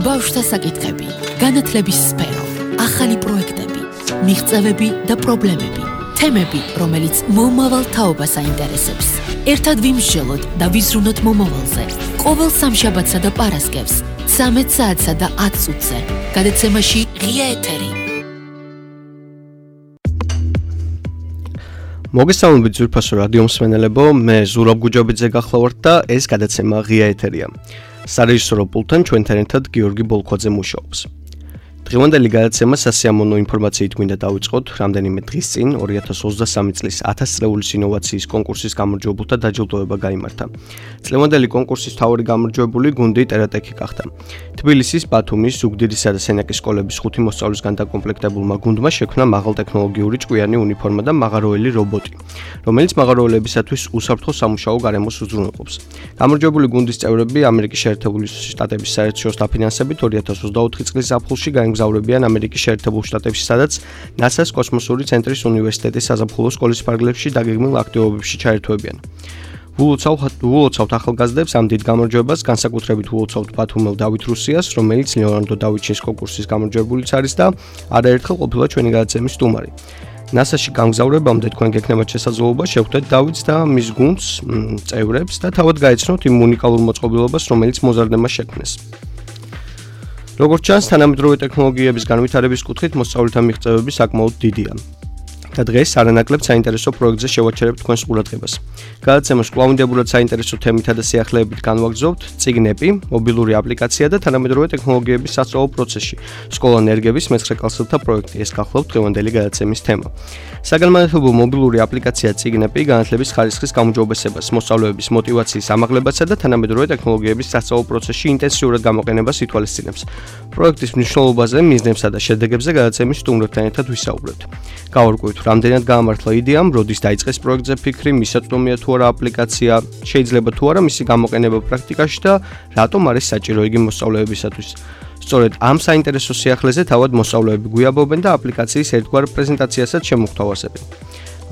ბავშვთა საკითხები, განათლების სფერო, ახალი პროექტები, მიღწევები და პრობლემები, თემები, რომელიც მომავალ თაობას აინტერესებს. ერთად ვიმსჯელოთ და ვიზრუნოთ მომავალზე. ყოველ სამშაბათსა და პარასკევს, 13 საათსა და 10 წუთზე. გადაცემაში ღია ეთერი. მოგესალმებით ძვირფასო რადიო მსმენელებო, მე ზურაბ გუჯობიძე გახლავართ და ეს გადაცემა ღია ეთერია. სარეჟისორო პულტთან ჩვენთან ერთად გიორგი ბოლქვაძე მუშაობს. დღევანდელი გადაცემა სასიამოვნო ინფორმაციით მინდა დავიწყოთ. რამდენიმე დღის წინ 2023 წლის 1000 წლეულის ინოვაციის კონკურსის გამარჯვებულთა დაჯილდოება გაიმართა. წლევანდელი კონკურსის მთავარი გამარჯვებული გუნდი ტერატექი გახდა. თბილისის, ბათუმის, ზუგდიდისა და სენაკის სკოლების 5 მოსწავლისგან დაკომპლექტებულმა გუნდმა შექმნა მაღალტექნოლოგიური ჭკვიანი უნიფორმა და მაღაროელი რობოტი, რომელიც მაღაროელებისათვის უსაფრთხო სამუშაო გარემოს უზრუნველყოფს. გამარჯვებული გუნდის წევრები ამერიკის შეერთებული შტატების საერთაშორისო დაფინანსებით 2024 წლის ზაფხულში გაემგზავრებიან ამერიკის შეერთებულ შტატებში, სადაც NASA-ს კოსმოსური ცენტრის უნივერსიტეტის საზაფხულო სკოლის ფარგლებში დაგეგმილ აქტივობებში ჩაერთვებიან. ვულოცავთ ახალგაზრდებს ამ დიდ გამარჯვებას, განსაკუთრებით ვულოცავთ ბათუმელ დავით რუსიას, რომელიც ლეონარდო დავიჩის კონკურსის გამარჯვებულიც არის და არაერთხელ ყოფილა ჩვენი გადაცემის სტუმარი. NASA-ში გამგზავრებამდე თქვენ გექნებათ შესაძლებლობა შევხვდეთ დავითს და მის გუნდს, წევრებს და თავად გაეცნოთ იმ უნიკალურ მოწყობილობას, რომელიც მოზარდებას შექმნეს. როგორც ჩანს, თანამედროვე ტექნოლოგიების განვითარების კუთხით მოსწავლეთა მიღწევები საკმაოდ დიდია. და დღეს არანაკლებ საინტერესო პროექტზე შევაჩერებთ თქვენს ყურადღებას. გადაცემას კვლავინდებურად საინტერესო თემითა და სიახლეებით განვაგრძობთ წიგნები, მობილური აპლიკაცია და თანამედროვე ტექნოლოგიების სასწავლო პროცესში. სკოლა ნერგების მე-9 კლასელთა პროექტი. ეს გახლავთ დღევანდელი გადაცემის თემა. საგანმანათლებლო მობილური აპლიკაცია წიგნები განათლების ხარისხის გაუმჯობესებას, მოსწავლეების მოტივაციის ამაღლებასა და თანამედროვე ტექნოლოგიების სასწავლო პროცესში ინტენსიურად გამოყენებას ითვალისწინებს. პროექტის მნიშვნელობაზე, მიზნებსა და შედეგებზე გადაცემის სტუმრებთან ერთად ვისაუბრებთ. გავარკვევთ, რამდენად გაამართლა იდეამ, როდის დაიწყეს პროექტზე ფიქრი, მისაწვდომია თუ არა აპლიკაცია, შეიძლება თუ არა მისი გამოყენება პრაქტიკაში და რატომ არის საჭირო იგი მოსწავლეებისათვის. სწორედ ამ საინტერესო სიახლეზე თავად მოსწავლეები გვიაბობენ და აპლიკაციის ერთგვარ პრეზენტაციასაც შემოგთავაზებენ.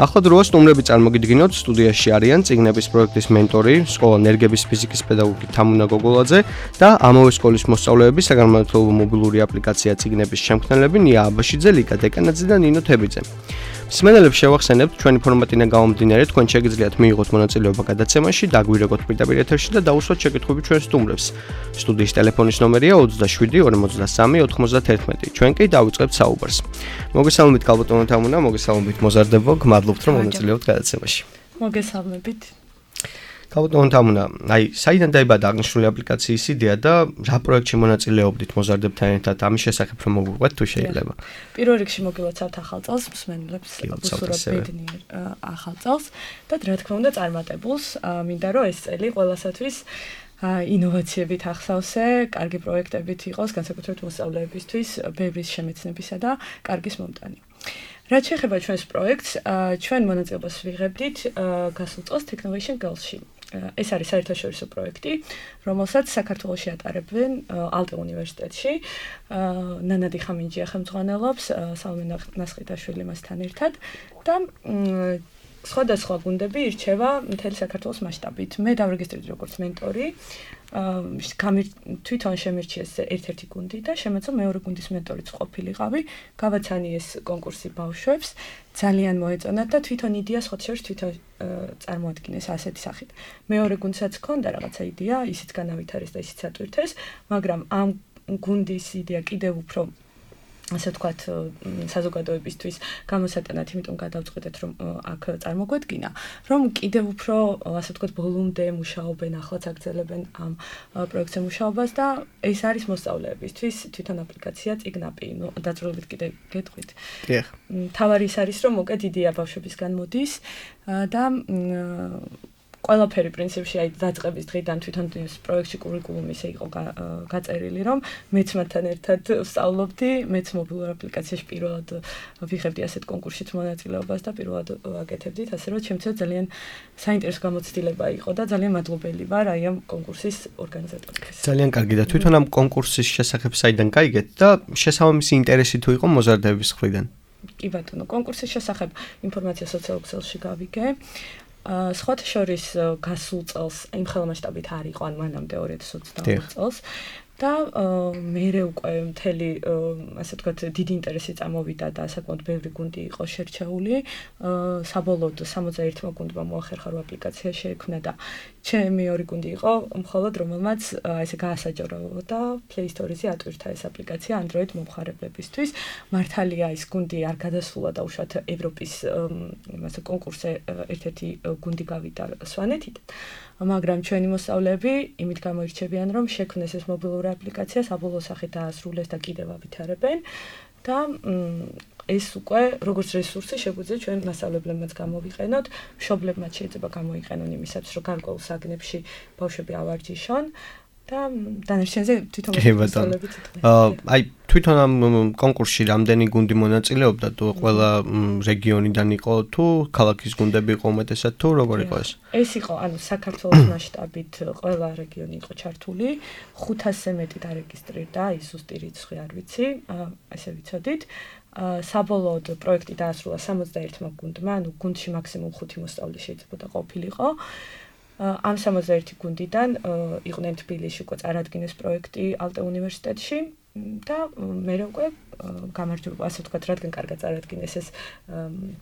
ახლა დროა სტუმრები წარმოგიდგინოთ. სტუდიაში არიან წიგნების პროექტის მენტორი, სკოლა ნერგების ფიზიკის პედაგოგი თამუნა გოგოლაძე და ამავე სკოლის მოსწავლეები, საგანმანათლებლო მობილური აპლიკაცია წიგნების შემქმნელები ნია აბაშიძე, ლიკა დეკანაძე და ნინო თებიძე. მსმენელებს შევახსენებთ, ჩვენი ფორმატიდან გამომდინარე, თქვენ შეგიძლიათ მიიღოთ მონაწილეობა გადაცემაში, დაგვირეკოთ პირდაპირ ეთერში და დაუსვათ შეკითხვები ჩვენ სტუმრებს. სტუდიის ტელეფონის ნომერია 27 43 91. ჩვენ კი დავიწყებთ საუბარს. მოგესალმებით ქალბატონო თამუნა, მოგესალმებით მოზარდებო, გმადლობთ რომ მონაწილეობთ გადაცემაში. მოგესალმებით. ქალბატონო თამუნა, საიდან დაიბადა აღნიშნული აპლიკაციის იდეა და რა პროექტში მონაწილეობდით მოზარდებთან ერთად? ამის შესახებ რომ მოგვიყვეთ თუ შეიძლება. პირველ რიგში მოგილოცავთ ახალ წელს, მსმენელებს უსურვებთ ბედნიერ ახალ წელს და რა თქმა უნდა წარმატებულს. მინდა რომ ეს წელი ყველასათვის ინოვაციებით ახსავსე, კარგი პროექტებით იყოს, განსაკუთრებით მოსწავლეებისთვის, ბევრის შემეცნებისა და კარგის მომტანი. რაც შეეხება ჩვენს პროექტს, ჩვენ მონაწილეობას ვიღებდით გასულ წელს Technovation Girls-ში. ეს არის საერთაშორისო პროექტი, რომელსაც საქართველოში ატარებენ ალტე უნივერსიტეტში. ნანადი ხამინჯია ხელმძღვანელობს, სალმე ნასხიტაშვილი მასთან ერთად და სხვადასხვა გუნდები ირჩევა მთელი საქართველოს მასშტაბით. მე დავრეგისტრირდი როგორც მენტორი, თვითონ შემირჩიეს ერთ-ერთი გუნდი და შემეძლო მეორე გუნდის მენტორიც ყოფილიყავი. გავაცანიეს კონკურსი ბავშვებს, ძალიან მოეწონათ და თვითონ იდეა სხვათაშორის თვითონ წარმოადგინეს ასეთი სახით. მეორე გუნდსაც ჰქონდა რაღაცა იდეა, ისიც განავითარეს და ისიც ატვირთეს, მაგრამ ამ გუნდის იდეა კიდევ უფრო ასე ვთქვათ, საზოგადოებისთვის გამოსატანად, იმიტომ გადავწყვეტეთ, რომ აქ წარმოგვედგინა, რომ კიდევ უფრო, ასე ვთქვათ, ბოლომდე მუშაობენ, ახლაც აგრძელებენ ამ პროექტზე მუშაობას და ეს არის მოსწავლეებისთვის თვითონ აპლიკაცია წიგნაპი, დაძრულებით კიდე გეტყვით. დიახ. თავარი ის არის, რომ მოკეთ იდეა ბავშვებისგან მოდის და ყველაფერი პრინციპში აი დაწყების დღიდან თვითონ ეს პროექტში კურიკულუმი ისე იყო გაწერილი, რომ მეც მათთან ერთად ვსწავლობდი, მეც მობილურ აპლიკაციაში პირველად ვიღებდი ასეთ კონკურსშიც მონაწილეობას და პირველად ვაკეთებდით, ასე რომ ჩემთვის ძალიან საინტერესო გამოცდილება იყო და ძალიან მადლობელი ვარ აი ამ კონკურსის ორგანიზატორებს. ძალიან კარგი და თვითონ ამ კონკურსის შესახებ საიდან გაიგეთ და შესაბამისი ინტერესი თუ იყო მოზარდების მხრიდან? კი ბატონო, კონკურსის შესახებ ინფორმაცია სოციალურ ქსელში გავიგე. სხვათა შორის გასულ წელს იმ ხელმასშტაბით არ იყო, ან მანამდე 2022 წელს და მერე უკვე მთელი ასე ვთქვათ დიდი ინტერესი წამოვიდა და საკმაოდ ბევრი გუნდი იყო შერჩეული. საბოლოოდ 61 გუნდმა მოახერხა რო აპლიკაცია შეექმნა და ჩემი ორი გუნდი იყო მხოლოდ რომელმაც ესე გაასაჯარო და Play Store-ზე ატვირთა ეს აპლიკაცია Android მომხმარებლებისთვის. მართალია ის გუნდი არ გადასულა და უშუალოდ ევროპის იმასე კონკურსზე ერთ-ერთი გუნდი გავიდა სვანეთიდან. მაგრამ ჩვენი მოსწავლეები იმით გამოირჩევიან, რომ შექმნეს ეს მობილური აპლიკაცია, საბოლოო სახით დაასრულეს და კიდევ ავითარებენ და ეს უკვე როგორც რესურსი შეგვიძლია ჩვენ მასწავლებლებმაც გამოვიყენოთ, მშობლებმაც შეიძლება გამოიყენონ იმისათვის, რომ გარკვეულ საგნებში ბავშვები ავარჯიშონ და დანარჩენზე თვითონ მასწავლებლები აი თვითონ ამ კონკურსში რამდენი გუნდი მონაწილეობდა თუ ყველა რეგიონიდან იყო თუ ქალაქის გუნდები იყო უმეტესად თუ როგორ იყო ეს? ეს იყო ანუ საქართველოს მასშტაბით ყველა რეგიონი იყო ჩართული 500-ზე მეტი დარეგისტრირდა ის ზუსტი რიცხვი არ ვიცი ესე ვიცოდით საბოლოოდ პროექტი დაასრულა 61 გუნდმა ანუ გუნდში მაქსიმუმ 5 მოსწავლე შეიძლება ყოფილიყო ამ 61 გუნდიდან იყვნენ თბილისში უკვე წარადგინეს პროექტი ალტე უნივერსიტეტში და მე უკვე გამარჯვება ასე ვთქვათ რადგან კარგად წარადგინეს ეს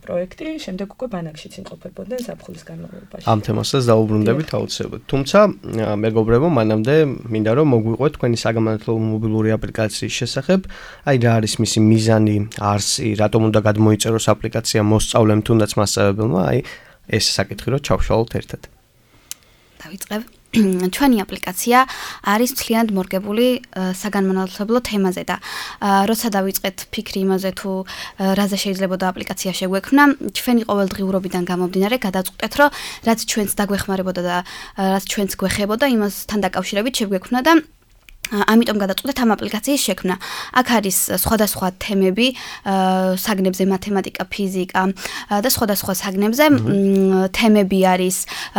პროექტი შემდეგ უკვე ბანაკშიც იმყოფებოდნენ ზაფხულის განმავლობაში ამ თემასაც დაუბრუნდებით აუცილებლად თუმცა მეგობრებო მანამდე მინდა რომ მოგვიყვეთ თქვენი საგამართლებლო მობილური აპლიკაციის შესახებ აი რა არის მისი მიზანი არსი რატომ უნდა გადმოიწეროს აპლიკაცია მოსწავლემ თუნდაც მასწავლებელმა აი ეს საკითხი რომ ჩავშალოთ ერთად დავიწყებ ჩვენი აპლიკაცია არის მთლიანად მორგებული საგანმანათლებლო თემაზე და როცა დავიწყეთ ფიქრი იმაზე თუ რაზე შეიძლება აპლიკაცია შეგვექმნა ჩვენი ყოველდღიურობიდან გამომდინარე გადავწყვეტეთ რომ რაც ჩვენს დაგვეხმარებოდა და რაც ჩვენს გვეხებოდა იმასთან დაკავშირებით შეგვექმნა და ამიტომ გადავწყვეტეთ ამ აპლიკაციის შექმნა. აქ არის სხვადასხვა თემები, საგნებზე მათემატიკა, ფიზიკა და სხვადასხვა საგნებზე თემები არის,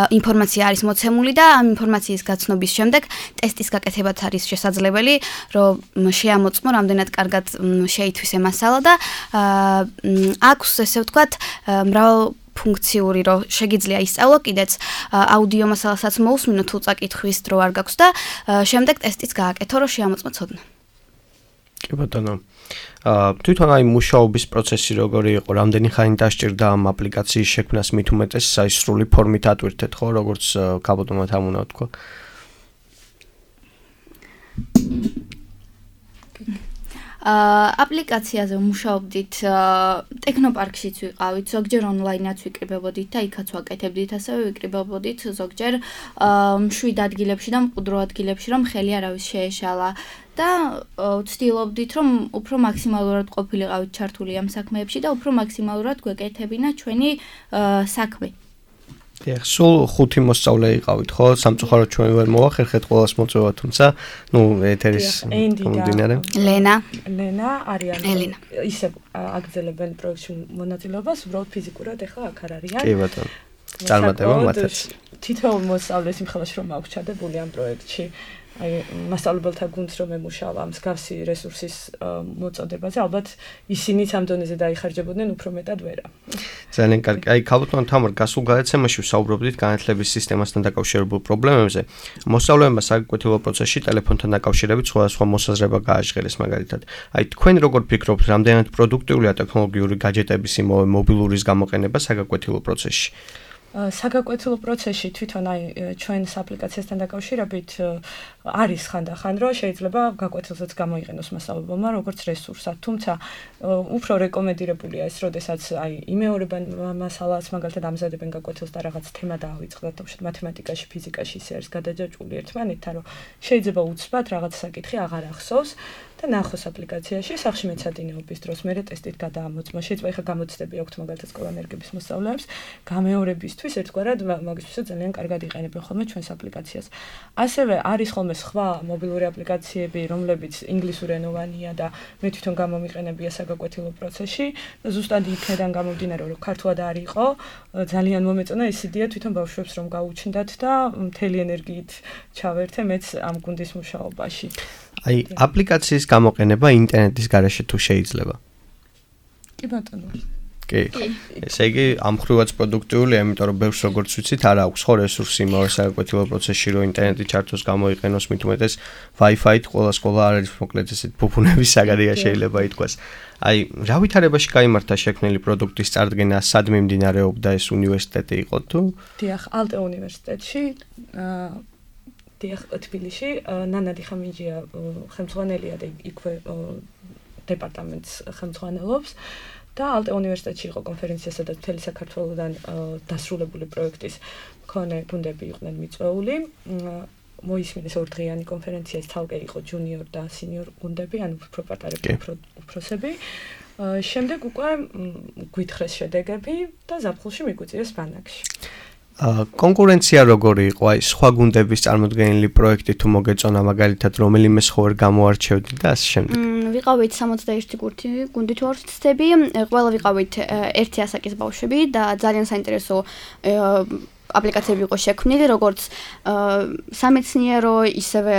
ინფორმაცია არის მოცემული და ამ ინფორმაციის გაცნობის შემდეგ ტესტის გაკეთებაც არის შესაძლებელი, რომ შეამოწმო რამდენად კარგად შეითვისე მასალა და აქვს ესე ვთქვათ მრავალ ფუნქციური რომ შეგიძლია ისწავლო კიდეც აუდიო მასალასაც მოусმინო თუ წაკითხვის დრო არ გაქვს და შემდეგ ტესტიც გააკეთო რომ შეამოწმო ცოდნა. კი ბატონო. თვითონ აი მუშაობის პროცესი როგორი იყო, რამდენი ხანი დასჭირდა ამ აპლიკაციის შექმნას მით უმეტეს აი სრული ფორმით ატვირთეთ ხო, როგორც გაბატონოთ ამ უნდა თქვა. აპლიკაციაზე მუშაობდით ტექნოპარკშიც ვიყავით, ზოგჯერ ონლაინაც ვიკრიბებოდით და იქაც ვაკეთებდით, ასევე ვიკრიბებოდით ზოგჯერ მშვიდ ადგილებში და მყუდრო ადგილებში, რომ ხელი არავის შეეშალა და ვცდილობდით, რომ უფრო მაქსიმალურად ყოფილიყავით ჩართული ამ საქმეებში და უფრო მაქსიმალურად გვეკეთებინა ჩვენი საქმე. სულ 5 მოსწავლე იყავით, ხო? სამწუხაროდ ჩვენ ვერ მოვახერხეთ ყველას მოწვევა, თუმცა, ნუ ეთერის მომდინარე. ლენა არიან. ისე აგრძელებენ პროექტში მონაწილეობას, უბრალოდ ფიზიკურად ახლა აქ არ არიან. კი ბატონო. წარმატება მათაც. თითოეულ მოსწავლეს იმხელაში რომ აქვს ჩადებული ამ პროექტში. აი მასწავლებელთა გუნდს რომ ემუშავა მსგავსი რესურსის მოწოდებაზე, ალბათ ისინიც ამ დონეზე დაიხარჯებოდნენ უფრო მეტად ვერა. ძალიან კარგი. აი ქალბატონ თამარ გასულ გადაცემაში ვსაუბრობდით განათლების სისტემასთან დაკავშირებულ პრობლემებზე. მოსწავლეებმა საკვეთილო პროცესში ტელეფონთან დაკავშირებით სხვადასხვა მოსაზრება გააჟღერეს მაგალითად. აი თქვენ როგორ ფიქრობთ, რამდენად პროდუქტიულია ტექნოლოგიური გაჯეტების იმავე მობილურის გამოყენება საგაკვეთილო პროცესში? საგაკვეთილო პროცესში თვითონ აი ჩვენს აპლიკაციასთან დაკავშირებით არის ხანდახან რომ შეიძლება გაკვეთილსაც გამოიყენოს მასწავლებელმა როგორც რესურსად, თუმცა უფრო რეკომენდირებულია ეს, როდესაც აი იმეორებენ მასალას, მაგალითად ამზადებენ გაკვეთილს და რაღაც თემა დაავიწყდათ, თუმცა მათემატიკაში, ფიზიკაში ისე არის გადაჯაჭვული ერთმანეთთან, რომ შეიძლება უცბად რაღაც საკითხი აღარ ახსოვს და ნახოს აპლიკაციაში სახში მეცადინეობის დროს მე ტესტით გადაამოწმო. შეიძლება ეხა გამოცდები აქვთ მაგალითად სკოლანერგების მოსწავლეებს, გამეორებისთვის ერთგვარად მაგისთვისაც ძალიან კარგად იყენებენ ხოლმე ჩვენს აპლიკაციას. ასევე არის ხოლმე სხვა მობილური აპლიკაციები, რომლებიც ინგლისურენოვანია და მე თვითონ გამომიყენებია საგაკვეთილო პროცესში. ზუსტად იქნედან გამომდინარე, რომ ქართულად არ იყო, ძალიან მომეწონა ეს იდეა თვითონ ბავშვებს რომ გაუჩნდათ და მთელი ენერგიით ჩავერთე მეც ამ გუნდის მუშაობაში. აი აპლიკაციის გამოყენება ინტერნეტის გარეშე თუ შეიძლება? კი ბატონო. კი. ესე იგი ამ ხრივაც პროდუქტიულია, იმიტომ რომ ბევრს როგორც ვიცით, არ აქვს ხო რესურსი იმავე საგაკვეთილო პროცესში, რომ ინტერნეტი ჩართოს გამოიყენოს, მით უმეტეს Wi-Fi-ით ყველა სკოლა არ არის მოკლედ ესეთ ფუფუნების საგარეა შეიძლება ითქვას. აი, რა ვითარებაში გაიმართა შექმნილი პროდუქტის წარდგენა, სად მიმდინარეობდა ეს უნივერსიტეტი იყო თუ? დიახ, ალტე უნივერსიტეტში, დიახ, თბილისში, ნანა დიხამინჯია ხელმძღვანელია და იქვე დეპარტამენტს ხელმძღვანელობს. და ალტე უნივერსიტეტში იყო კონფერენცია, სადაც მთელი საქართველოდან დასრულებული პროექტის მქონე გუნდები იყვნენ მიწვეული. მოისმინეს ორდღიანი კონფერენცია, ეს თალკე იყო ჯუნიორ და სინიორ გუნდები, ანუ უფრო პატარები, უფროსები. შემდეგ უკვე გვითხრეს შედეგები და ზაფხულში მიგვიწიეს ბანაკში. კონკურენცია როგორი იყო? აი, სხვა გუნდების წარმოდგენილი პროექტი თუ მოგეწონა მაგალითად, რომელიმე სხვა ვერ გამოარჩევდი და ასე შემდეგ. ვიყავით 61 გუნდი თუ არ ვცდები, ყველა ვიყავით ერთი ასაკის ბავშვები და ძალიან საინტერესო აპლიკაციები იყო შექმნილი, როგორც სამეცნიერო, ისევე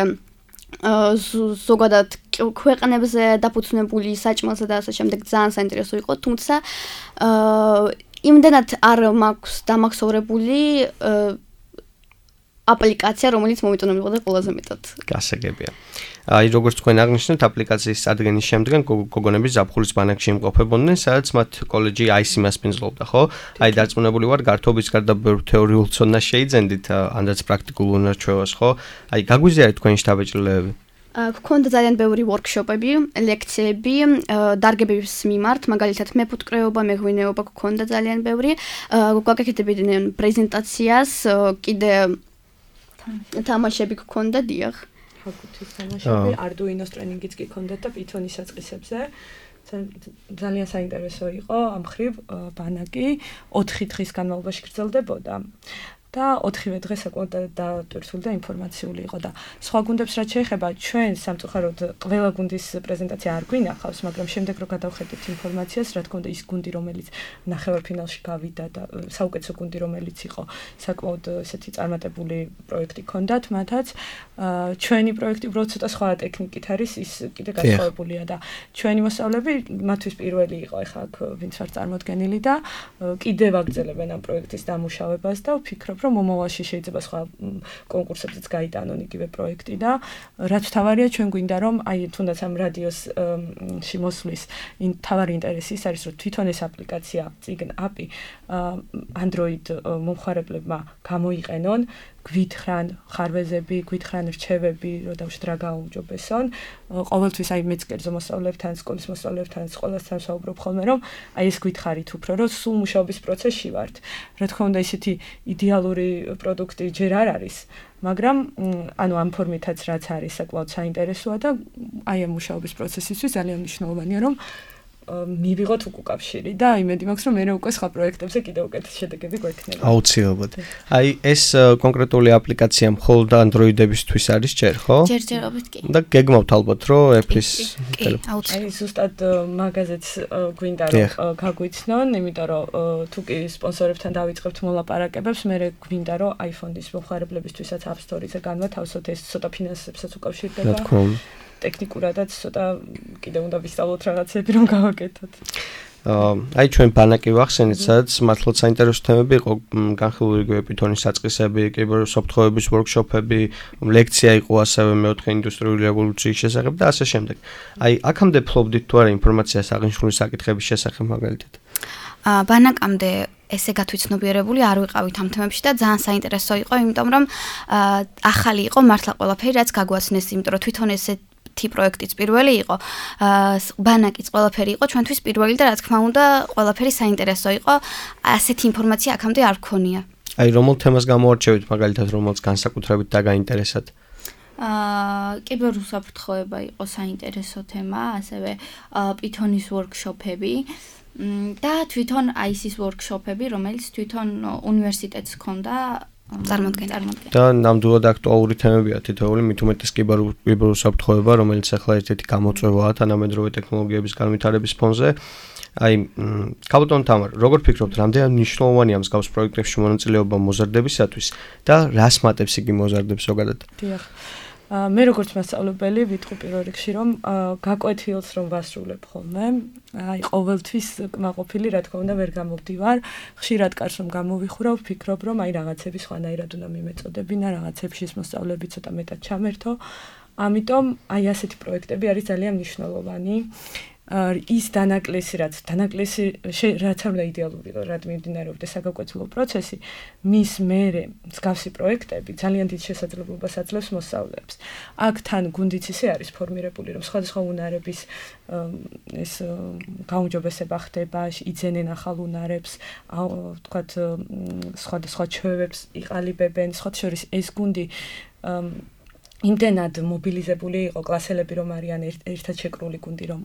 ზოგადად ქვეყნებზე დაფუძნებული საჭმელზე და ასე შემდეგ ძალიან საინტერესო იყო, თუმცა იმდენად არ მაქვს დამახსოვრებული აპლიკაცია, რომელიც მომიტანილიყო და ყველაზე მეტად. გასაგებია. აი, როგორც თქვენ აღნიშნეთ, აპლიკაციის წარდგენის შემდგენ გოგონები ზაფხულის ბანაკში იმყოფებოდნენ, სადაც მათ კოლეჯი IC-მას პინძლობდა, ხო? აი, დარწმუნებული ვარ, გართობის გარდა ბევრ თეორიულ ცოდნას შეიძენდით, ანდაც პრაქტიკულ უნარჩვევას, ხო? აი, გაგვიზიარეთ თქვენი შთაბეჭდილებები. გქონდა ძალიან ბევრი ვორქშოპები, ლექციები, დარგების მიმართ, მაგალითად მეფუტკრეობა, მეღვინეობა გქონდა ძალიან ბევრი. გვაკეთებდნენ პრეზენტაციას, კიდე თამაშები გქონდა, დიახ. ჰაკუთის თამაშები, Arduino-ს ტრენინგიც კი გქონდა და Python-ის საწყისებზე. ძალიან საინტერესო იყო ამ ხრივ ბანაკი 4 დღის განმავლობაში გრძელდებოდა. და 4-ვე დღე საკმაოდ დატვირთული და ინფორმაციული იყო და სხვა გუნდებს რაც შეეხება ჩვენ სამწუხაროდ ყველა გუნდის პრეზენტაცია არ გვინახავს, მაგრამ შემდეგ რო გადავხედეთ ინფორმაციას, რა თქმა უნდა ის გუნდი რომელიც ნახევარფინალში გავიდა და საუკეთესო გუნდი რომელიც იყო საკმაოდ ესეთი წარმატებული პროექტი ჰქონდათ მათაც, ჩვენი პროექტი უბრალოდ ცოტა სხვა ტექნიკით არის, ის კიდე განსხვავებულია და ჩვენი მოსწავლეები მათთვის პირველი იყო ახლა აქ ვინც არ წარმოდგენილი და კიდევ აგრძელებენ ამ პროექტის დამუშავებას და ვფიქრობ რომ მომავალში შეიძლება სხვა კონკურსებზეც გაიტანონ იგივე პროექტი და რაც თავარია ჩვენ გვინდა რომ აი თუნდაც ამ რადიოსში მოსვლის თავარი ინტერესი ის არის რომ თვითონ ეს აპლიკაცია წიგნ API Android მომხმარებლებმა გამოიყენონ გვითხრან ხარვეზები, გვითხრან რჩევები, რომ დავშვით რა გააუმჯობესონ. ყოველთვის აი მეც კერძო მოსწავლეებთან, სკოლის მოსწავლეებთან, სკოლასთან ვსაუბრობ ხოლმე, რომ აი ეს გითხარით უფრო, რომ სულ მუშაობის პროცესში ვართ. რა თქმა უნდა, ისეთი იდეალური პროდუქტი ჯერ არ არის, მაგრამ ანუ ამ ფორმითაც რაც არის, საკმაოდ საინტერესოა და აი ამ მუშაობის პროცესისთვის ძალიან მნიშვნელოვანია, რომ მივიღოთ უკავშირი და იმედი მაქვს რომ მე უკვე სხვა პროექტებზე კიდევ უკეთეს შედეგები გვექნება. აუცილებლად. აი ეს კონკრეტული აპლიკაცია მხოლოდ Android-ებისთვის არის ჯერ, ხო? ჯერჯერობით კი. და გეგმავთ ალბათ რომ Apple-ის ტელეფონი. აი ზუსტად მაგაზეც გვინდა რომ გაგვიცნონ, იმიტომ რომ თუ კი სპონსორებთან დავიწყებთ მოლაპარაკებებს, მე გვინდა რომ iPhone-ის მომხმარებლებისთვისაც App Store-ზე განვათავსოთ, ეს ცოტა ფინანსებსაც უკავშირდება. რა თქმა უნდა. ტექნიკურადაც ცოტა კიდევ უნდა ვისწავლოთ რაღაცები რომ გავაკეთოთ. აი ჩვენ ბანაკი ვახსენეთ, სადაც მართლაც საინტერესო თემები იყო, განხილული იგივე Python-ის საწყისები, კიბერსოფტვერების ვორქშოპები, ლექცია იყო ასევე მეოთხე ინდუსტრიული რევოლუციის შესახებ და ასე შემდეგ. აი აქამდე ფლობდით თუ არა ინფორმაციას აღნიშნული საკითხების შესახებ მაგალითად? ბანაკამდე ესე გათვითცნობიერებული არ ვიყავით ამ თემებში და ძალიან საინტერესო იყო, იმიტომ რომ ახალი იყო მართლა ყველაფერი, რაც გაგვაცნეს, იმიტომ რომ თვითონ ესე პროექტიც პირველი იყო, ბანაკიც ყველაფერი იყო ჩვენთვის პირველი და რა თქმა უნდა ყველაფერი საინტერესო იყო, ასეთი ინფორმაცია აქამდე არ გქონია. აი რომელ თემას გამოარჩევით მაგალითად, რომელს განსაკუთრებით დაგაინტერესათ? კიბერუსაფრთხოება იყო საინტერესო თემა, ასევე Python-ის ვორქშოპები და თვითონ IC-ის ვორქშოპები, რომელიც თვითონ უნივერსიტეტს ჰქონდა წარმოადგენდა. და ნამდვილად აქტუალური თემებია თითოეული, მით უმეტეს კიბერუსაფრთხოება, რომელიც ახლა ერთ-ერთი გამოწვევაა თანამედროვე ტექნოლოგიების განვითარების ფონზე. აი, კაბოტონ თამარ, როგორ ფიქრობთ, რამდენად მნიშვნელოვანია მსგავს პროექტებში მონაწილეობა მოზარდებისათვის და რას მატებს იგი მოზარდებს ზოგადად? დიახ. მე როგორც მასწავლებელი ვიტყვი პირველ რიგში რომ გაკვეთილს რომ ვასრულებ ხოლმე აი ყოველთვის კმაყოფილი რა თქმა უნდა ვერ გამოვდივარ ხშირად კარს რომ გამოვიხურავ ვფიქრობ რომ აი რაღაცები სხვანაირად უნდა მიმეწოდებინა რაღაცებში ის მოსწავლეები ცოტა მეტად ჩამერთო ამიტომ აი ასეთი პროექტები არის ძალიან მნიშვნელოვანი ის დანაკლისი რაც არ უნდა იდეალური რაც მიმდინარეობდა საგაკვეთილო პროცესი მის მერე მსგავსი პროექტები ძალიან დიდ შესაძლებლობას აძლევს მოსწავლეებს აქ თან გუნდიც ისე არის ფორმირებული რომ სხვადასხვა უნარების ეს გაუმჯობესება ხდება იძენენ ახალ უნარებს ვთქვათ სხვადასხვა ჩვევებს იყალიბებენ სხვა შორის ეს გუნდი იმდენად მობილიზებული იყო კლასელები რომ არიან ერთად შეკრული გუნდი რომ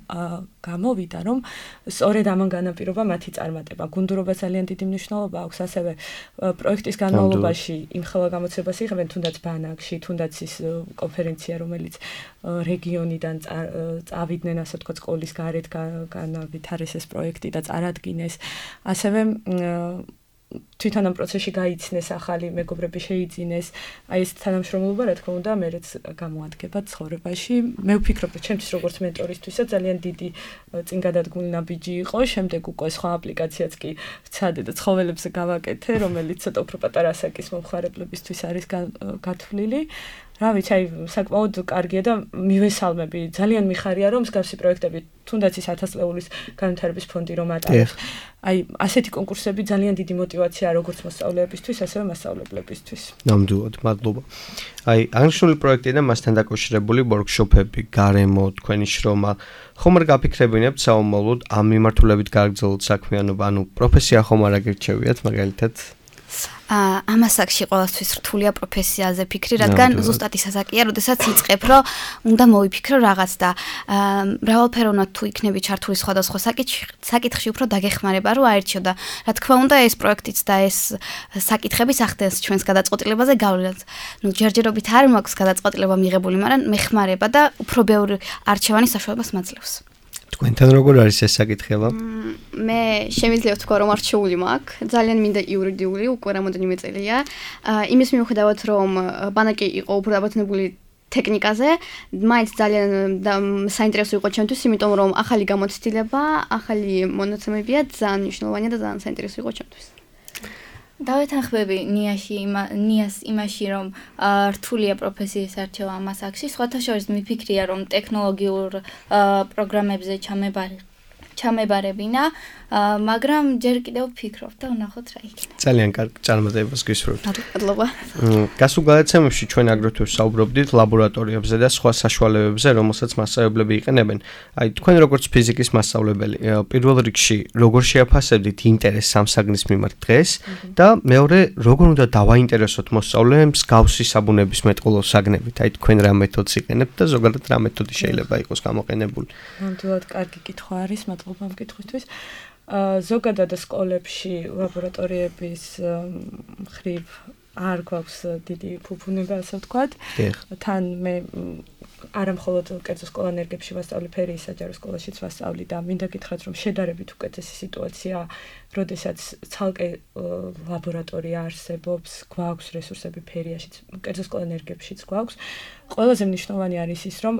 გამოვიდა რომ სწორედ ამან განაპირობა მათი წარმატება გუნდურობა ძალიან დიდი მნიშვნელობა აქვს ასევე პროექტის განმავლობაში იმ ხელა გამოცებას იღებენ თუნდაც ბანაკში თუნდაც ის კონფერენცია რომელიც რეგიონიდან წავიდნენ ასე ვთქვათ სკოლის გარეთ განავითარეს ეს პროექტი და წარადგინეს ასევე თვითონ ამ პროცესში გაიცნეს ახალი მეგობრები შეიძინეს აი ეს თანამშრომლობა რა თქმა უნდა მერეც გამოადგება ცხოვრებაში მე ვფიქრობ რომ ჩემთვის როგორც მენტორისთვისაც ძალიან დიდი წინგადადგმული ნაბიჯი იყო შემდეგ უკვე სხვა აპლიკაციაც კი ვცადე და ცხოველებზე გავაკეთე რომელიც ცოტა უფრო პატარა ასაკის მომხმარებლებისთვის არის გათვლილი რა ვიცი აი საკმაოდ კარგია და მივესალმები ძალიან მიხარია რომ მსგავსი პროექტები თუნდაც ის 1000 ლეულის განვითარების ფონდი რომ ატარებს აი ასეთი კონკურსები ძალიან დიდი мотиваციაა როგორც მოსწავლეებისთვის ასევე მასწავლებლებისთვის ნამდვილად მადლობა აი აღნიშნული პროექტი და მასთან დაკავშირებული ვორქშოპები გარემო თქვენი შრომა ხომ არ გაფიქრებინებთ საომალოდ ამ მიმართულებით გააგრძელოთ საქმიანობა ანუ პროფესია ხომ არ აგირჩევიათ მაგალითად ამასაკში ყოველთვის რთულია პროფესიაზე ფიქრი, რადგან ზუსტად ის ასაკია, როდესაც იწყებ, რომ უნდა მოვიფიქრო რაღაც და მრავალფეროვნად თუ იქნები ჩართული სხვადასხვა საკითხში უფრო დაგეხმარება, რომ აერჩიო და რა თქმა უნდა ეს პროექტიც და ეს საკითხებიც ახდენს ჩვენს გადაწყვეტილებაზე გავლენას. ნუ ჯერჯერობით არ მაქვს გადაწყვეტილება მიღებული, მაგრამ მეხმარება და უფრო ბევრი არჩევანის საშუალებას მაძლევს. თქვენთან როგორ არის ეს საკითხება? მე შემიძლია ვთქვა რომ არჩეული მაქვს, ძალიან მინდა იურიდიული, უკვე რამოდენიმე წელია. იმის მიუხედავად რომ ბანაკი იყო უფრო დაბატონებული ტექნიკაზე, მაინც ძალიან საინტერესო იყო ჩემთვის, იმიტომ რომ ახალი გამოცდილება, ახალი მონაცემებია, ძალიან მნიშვნელოვანია და ძალიან საინტერესო იყო ჩემთვის. დავეთანხმები ნიას იმაში რომ რთულია პროფესიის არჩევა ამ ასაკში, სხვათა შორის მიფიქრია რომ ტექნოლოგიურ პროგრამებზე ჩამებარებინა, მაგრამ ჯერ კიდევ ვფიქრობ და ვნახოთ რა იქნება. ძალიან კარგი წარმატებას გისურვებთ. მადლობა. გასულ გადაცემებში ჩვენ აგრეთვე საუბრობდით ლაბორატორიებზე და სხვა საშუალებებზე, რომელსაც მასწავლებლები იყენებენ. აი, თქვენ როგორც ფიზიკის მასწავლებელი, პირველ რიგში როგორ შეაფასებდით ინტერესს ამ საგნის მიმართ დღეს და მეორე, როგორ უნდა დავაინტერესოთ მოსწავლეებს მსგავსი საბუნების მეტყველო საგნებით? აი, თქვენ რა მეთოდს იყენებთ და ზოგადად რა მეთოდი შეიძლება იყოს გამოყენებული? ნამდვილად კარგი კითხვა არის, მადლობა ამ კითხვისთვის. ზოგადად სკოლებში ლაბორატორიების მხრივ არ გვაქვს დიდი ფუფუნება, ასე ვთქვათ. თან მე არა მხოლოდ კერძო სკოლანერგებში ვასწავლი, ფერიის საჯარო სკოლაშიც ვასწავლი და მინდა გითხრათ, რომ შედარებით უკეთესი სიტუაცია, როდესაც ცალკე ლაბორატორია არსებობს, გვაქვს რესურსები ფერიაშიც, კერძო სკოლანერგებშიც გვაქვს. ყველაზე მნიშვნელოვანი არის ის, რომ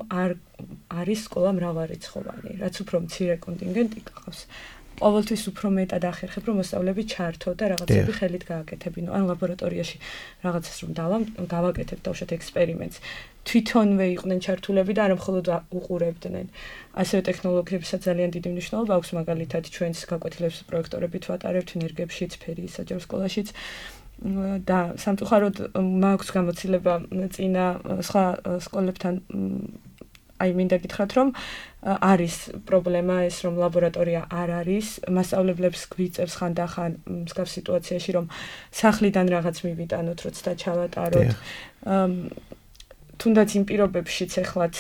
არის სკოლა მრავალრიცხოვანი, რაც უფრო მცირე კონტინგენტი გყავს. ყოველთვის უფრო მეტად ახერხებ, რომ მოსწავლეები ჩართო და რაღაცები ხელით გააკეთებინო. ან ლაბორატორიაში რაღაცას რომ გავაკეთებ დავშოთ ექსპერიმენტს. თვითონვე იყვნენ ჩართულები და არა მხოლოდ უყურებდნენ. ასევე ტექნოლოგიებსაც ძალიან დიდი მნიშვნელობა აქვს, მაგალითად ჩვენს გაკვეთილებს პროექტორებით ვატარებთ ენერგიებშიც, ფერიის საჯარო სკოლაშიც. და სამწუხაროდ მაქვს გამოცდილება წინა სხვა სკოლებთან აი მინდა გითხრათ რომ არის პრობლემა ეს რომ ლაბორატორია არ არის მასწავლებლებს გვიწევს ხანდახან მსგავს სიტუაციაში რომ სახლიდან რაღაც მივიტანოთ როცა ჩავატაროთ თუნდაც იმ პირობებშიც ეხლაც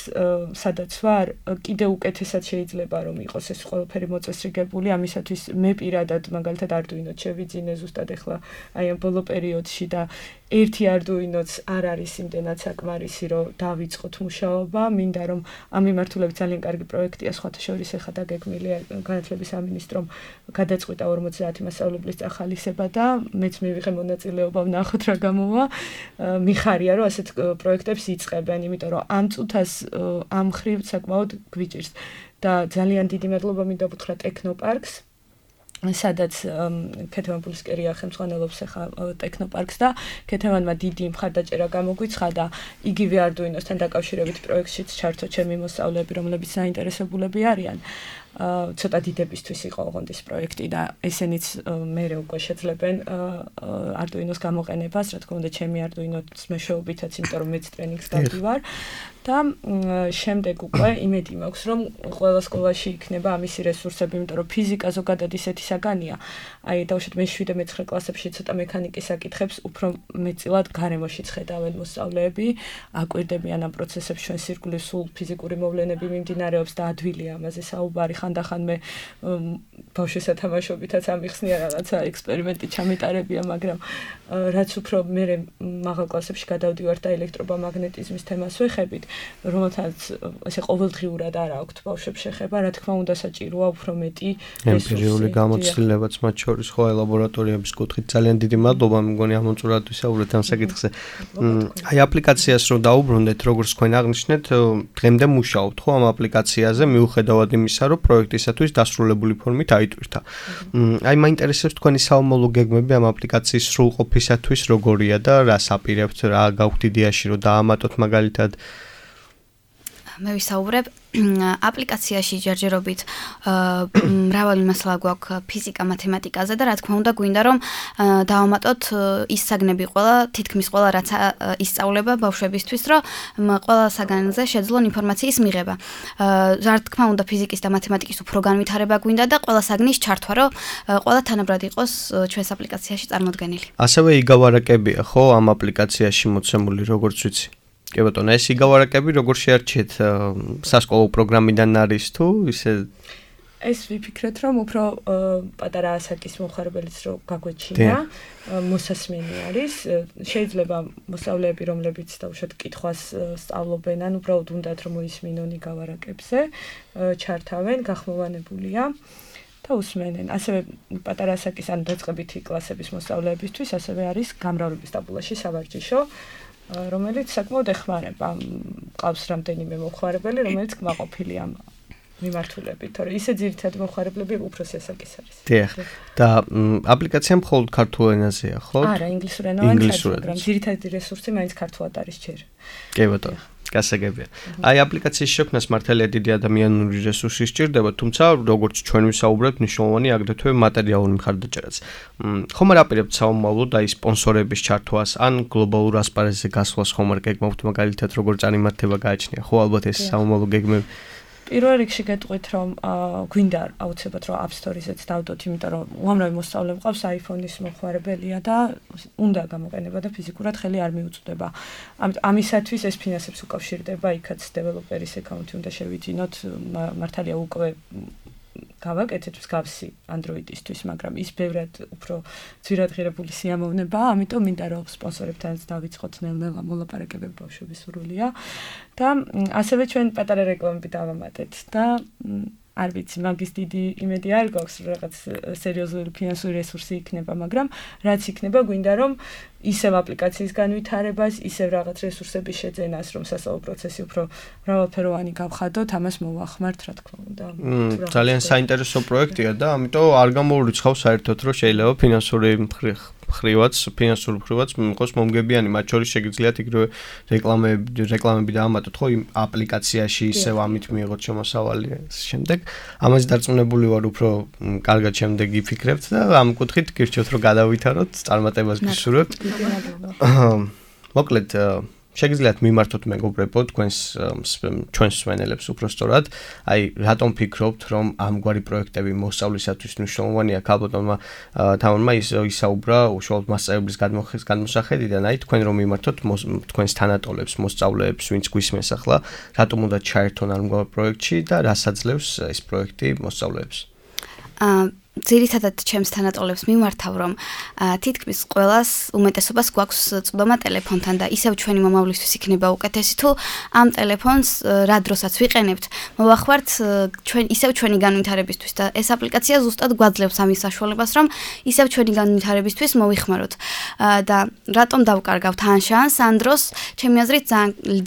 სადაც ვარ კიდე უკეთესად შეიძლება რომ იყოს ეს ყველაფერი მოწესრიგებული ამისათვის მე პირადად მაგალითად Arduino-ს შევიძინე ზუსტად ეხლა აი ამ ბოლო პერიოდში და ერთი Arduino-ც არ არის იმდენად საკმარისი, რომ დავიწყოთ მუშაობა, მინდა რომ ამ მიმართულებით ძალიან კარგი პროექტია, სხვათა შორის ახლა დაგეგმილია განათლების სამინისტრომ გადაწყვიტა 50 მასწავლებლის წახალისება და მეც მივიღე მონაწილეობა ვნახოთ რა გამოვა. მიხარია რომ ასეთ პროექტებს იწყებენ, იმიტომ რომ ამ წუთას ამ ხრივ საკმაოდ გვიჭირს და ძალიან დიდი მადლობა მინდა ვუთხრა ტექნოპარკს, სადაც ქეთევან პულსკერია ხელმძღვანელობს ახლა ტექნოპარკს და ქეთევანმა დიდი მხარდაჭერა გამოგვიცხადა და იგივე Arduino-სთან დაკავშირებით პროექტშიც ჩართო ჩემი მოსწავლეები, რომლებიც საინტერესებულები არიან. ცოტა დიდებისთვის იყო ოღონდის პროექტი და ესენიც მერე უკვე შეძლებენ Arduino-ს გამოყენებას, რა თქმა უნდა, ჩემი Arduino-ს მეშვეობითაც, იმიტომ რომ მეც ტრენინგს გავდივარ და შემდეგ უკვე იმედი მაქვს, რომ ყველა სკოლაში იქნება ამისი რესურსები, იმიტომ რომ ფიზიკა ზოგადად ისეთი საგანია. აი, დავუშვათ მე 7-9 კლასებში ცოტა მექანიკის საკითხებს უფრო მეტწილად გარემოშიც ხედავენ მოსწავლეები, აკვირდებიან ამ პროცესებს, ჩვენ სირგულის სულ ფიზიკური მოვლენები მიმდინარეობს და ადვილია ამაზე საუბარი. ხანდახან მე ბავშვის სათამაშობითაც ამიხსნია რაღაცა ექსპერიმენტი ჩამეტარებია, მაგრამ რაც უფრო მე მაღალ კლასებში გადავდივარ და ელექტრომაგნეტიზმის თემას ვეხებით, რომელთაც ესე ყოველდღიურად არ აქვთ ბავშვებს შეხება, რა თქმა უნდა საჭიროა უფრო მეტი ემპირიული გამოცდილებაც მათ შორის ხო ლაბორატორიების კუთხით ძალიან დიდი მადლობა, მგონი ამოწურად ვისაუბრეთ ამ საკითხზე. აი აპლიკაციას რო დაუბრუნდეთ, როგორც თქვენ აღნიშნეთ, დღემდე მუშაობთ ხო ამ აპლიკაციაზე, მიუხედავად იმისა, რომ პროექტისათვის დასრულებული ფორმით აიტვირთა. აი მაინტერესებს თქვენი საომოლო გეგმები ამ აპლიკაციის სრულყოფისათვის როგორია და რას აპირებთ, რა გაქვთ იდეაში რომ დაამატოთ მაგალითად? მე ვისაუბრებ აპლიკაციაში ჯერჯერობით მრავალი მასალა გვაქვს ფიზიკა, მათემატიკაზე და რა თქმა უნდა გვინდა რომ დავამატოთ ის საგნები ყველა, თითქმის ყველა რაც ისწავლება ბავშვებისთვის, რომ ყველა საგანზე შეძლონ ინფორმაციის მიღება. რა თქმა უნდა ფიზიკის და მათემატიკის უფრო განვითარება გვინდა და ყველა საგნის ჩართვა, რომ ყველა თანაბრად იყოს ჩვენს აპლიკაციაში წარმოდგენილი. ასევე იგავარაკებია ხო ამ აპლიკაციაში მოცემული, როგორც ვიცი? კი ბატონო, ეს იგავარაკები როგორ შეარჩიეთ სასკოლო პროგრამიდან არის თუ ისე? ეს ვიფიქრეთ, რომ უფრო პატარა ასაკის მომხმარებელიც რო გაგვეჩინა, მოსასმენი არის. შეიძლება მოსწავლეები, რომლებიც დავუშვათ კითხვას სწავლობენ, ან უბრალოდ უნდათ რომ მოისმინონ იგავარაკებზე, ჩართავენ, გახმოვანებულია და usmenen. ასევე პატარა ასაკის ან დაწყებითი კლასების მოსწავლეებისთვის ასევე არის გამრავლების ტაბულაში სავარჯიშო, რომელიც საკმაოდ ეხმარება. ყავს რამდენიმე მომხმარებელი, რომელიც კმაყოფილია ამ მიმართულებით, თორე ისე ძირითადად მომხმარებლები უფროსი ასაკის არის. დიახ. და აპლიკაცია მხოლოდ ქართულ ენაზეა, ხო? არა, ინგლისურენოვანი, მაგრამ ძირითადი რესურსი მაინც ქართულად არის ჯერ. კი ბატონო. გასაგებია. აი აპლიკაციის შექმნას მართალია დიდი ადამიანური რესურსი სჭირდება, თუმცა როგორც ჩვენ ვისაუბრებთ, მნიშვნელოვანი აგრეთვე მატერიალური მხარდაჭერაც. ხომ არ აპირებთ საომავლოდ აი სპონსორების ჩართვას ან გლობალურ ასპარეზზე გასვლას ხომ არ გეგმავთ მაგალითად როგორ წარიმართება გააჩნია? ხო ალბათ ეს საომავლო გეგმები. პირველ რიგში გეტყვით რომ გვინდა აუცილებლად რომ App Store-იზეც დავდოთ, იმიტომ რომ უამრავი მოსწავლე მყავს iPhone-ის მომხმარებელია და უნდა გამოყენება და ფიზიკურად ხელი არ მიუწვდება. ამისათვის ეს ფინანსებს უკავშირდება, იქაც დეველოპერის აკაუნთი უნდა შევიძინოთ, მართალია უკვე გავაკეთეთ მსგავსი Android-ისთვის, მაგრამ ის ბევრად უფრო ძვირადღირებული სიამოვნებაა, ამიტომ მინდა რომ სპონსორებთანაც დავიწყოთ ნელ-ნელა მოლაპარაკებები, ბავშვების სურვილია და ასევე ჩვენ პატარა რეკლამები დავამატეთ და არ ვიცი, მაგის დიდი იმედი არ გვაქვს, რომ რაღაც სერიოზული ფინანსური რესურსი იქნება, მაგრამ რაც იქნება, გვინდა რომ ისევ აპლიკაციის განვითარებას, ისევ რაღაც რესურსების შეძენას, რომ სასწავლო პროცესი უფრო მრავალფეროვანი გავხადოთ, ამას მოვახმართ, რა თქმა უნდა. ძალიან საინტერესო პროექტია და ამიტომ არ გამოურიცხავ საერთოდ, რომ შეიძლება ფინანსური ფინანსურ მხრივაც იყოს მომგებიანი, მათ შორის შეგიძლიათ იგივე რეკლამები დაამატოთ, ხო, იმ აპლიკაციაში ისევ ამით მიიღოთ შემოსავალი შემდეგ. ამაზე დარწმუნებული ვარ, უფრო კარგად შემდეგ იფიქრებთ და ამ კუთხით გირჩევთ, რომ გადავითაროთ, წარმატებას გისურვებთ. მოკლედ შეგიძლიათ მიმართოთ მეგობრებო ჩვენს მსმენელებს უფრო სწორად, აი რატომ ფიქრობთ რომ ამგვარი პროექტები მოსწავლისათვის მნიშვნელოვანია? ქალბატონმა თამარმა ისაუბრა უშუალოდ მასწავლებლის გადმოსახედიდან, აი თქვენ რომ მიმართოთ თქვენს თანატოლებს, მოსწავლეებს, ვინც გვისმენს ახლა, რატომ უნდა ჩაერთონ ამგვარ პროექტში და რას აძლევს ეს პროექტი მოსწავლეებს? ძირითადად ჩემს თანატოლებს მიმართავ, რომ თითქმის ყველას უმეტესობას გვაქვს წვდომა ტელეფონთან და ისევ ჩვენი მომავლისთვის იქნება უკეთესი თუ ამ ტელეფონს რა დროსაც ვიყენებთ, მოვახварთ ისევ ჩვენი განვითარებისთვის და ეს აპლიკაცია ზუსტად გვაძლევს ამის საშუალებას, რომ ისევ ჩვენი განვითარებისთვის მოვიხმაროთ. და რატომ დავკარგავთ ან შანსს, ან დროს ჩემი აზრით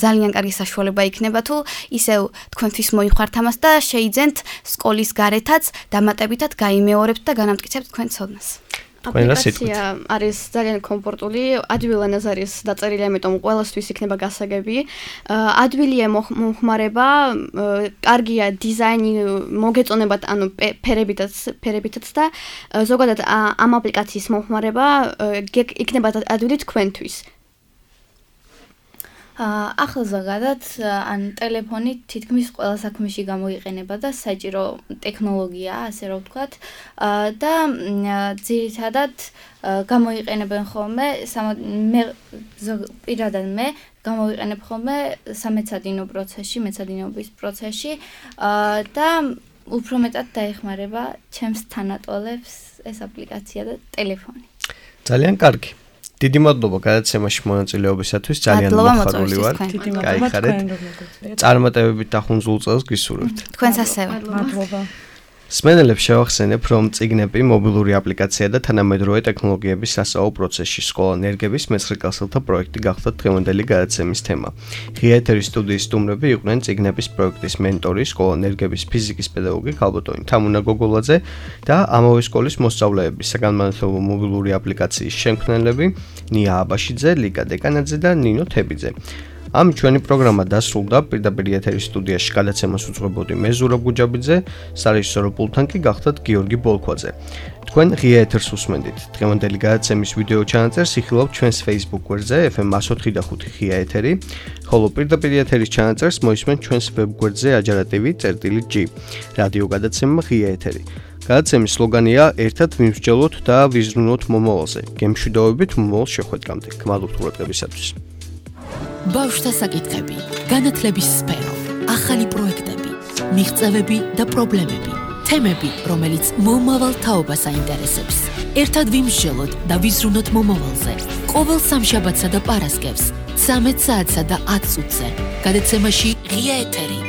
ძალიან კარგი საშუალება იქნება თუ ისევ თქვენთვის მოიხმართ ამას და შეიძენთ სკოლის გარეთაც დამატებითად გაიმეორებთ და განამტკიცებთ თქვენ ცოდნას. აპლიკაცია არის ძალიან კომფორტული, ადვილად არის დაწერილი, ამიტომ ყველასთვის იქნება გასაგები. ადვილია მომხმარება, კარგია დიზაინი, მოგეწონებათ, ანუ ფერებითაც და ზოგადად ამ აპლიკაციის მომხმარება იქნება ადვილი თქვენთვის. ახლა ზოგადად ან ტელეფონი თითქმის ყველა საქმეში გამოიყენება და საჭირო ტექნოლოგიაა, ასე რომ ვთქვათ. და ძირითადად გამოიყენებენ ხოლმე პირადად მე გამოვიყენებ ხოლმე სამეცადინო პროცესში, მეცადინეობის პროცესში და უფრო მეტად დაეხმარება ჩემს თანატოლებს ეს აპლიკაცია და ტელეფონი. ძალიან კარგი. დიდი მადლობა გადაცემაში მონაწილეობისათვის, ძალიან მოხარული ვარ. გაიხარეთ. წარმატებებით და ხუნძულ წელს გისურვებთ. თქვენს ასევე. მადლობა. სმენელებს შევახსენებ, რომ წიგნები, მობილური აპლიკაცია და თანამედროვე ტექნოლოგიების სასწავლო პროცესში სკოლა ნერგების მეცხრე კლასელთა პროექტი გახდა დღევანდელი გადაცემის თემა. ღია ეთერის სტუდიის სტუმრები იყვნენ წიგნების პროექტის მენტორი, სკოლა ნერგების ფიზიკის პედაგოგი ქალბატონი თამუნა გოგოლაძე და ამავე სკოლის მოსწავლეები, საგანმანათლებლო მობილური აპლიკაციის შემქმნელები ნია აბაშიძე, ლიკა დეკანაძე და ნინო თებიძე. ამ ჩვენი პროგრამა დასრულდა, პირდაპირ ეთერის სტუდიაში გადაცემას უძღვებოდი მე ზურაბ გუჯაბიძე, სარეჟისორო პულტთან კი გახდათ გიორგი ბოლქვაძე. თქვენ ღია ეთერს უსმენდით. დღევანდელი გადაცემის ვიდეო ჩანაწერს იხილავთ ჩვენს Facebook გვერდზე FM 104.5 ღია ეთერი, ხოლო პირდაპირ ეთერის ჩანაწერს მოისმენთ ჩვენს ვებ გვერდზე ajarativi.g. რადიო გადაცემა ღია ეთერი. გადაცემის სლოგანია ერთად ვიმსჯელოთ და ვიზრუნოთ მომავალზე. გემშვიდობებით მომავალ შეხვედრამდე. გმადლობთ ყურადღებისათვის. ბავშვთა საკითხები, განათლების სფერო, ახალი პროექტები, მიღწევები და პრობლემები, თემები, რომელიც მომავალ თაობას აინტერესებს. ერთად ვიმსჯელოთ და ვიზრუნოთ მომავალზე. ყოველ სამშაბათსა და პარასკევს 13 საათსა და 10 წუთზე. გადაცემაში ღია ეთერი.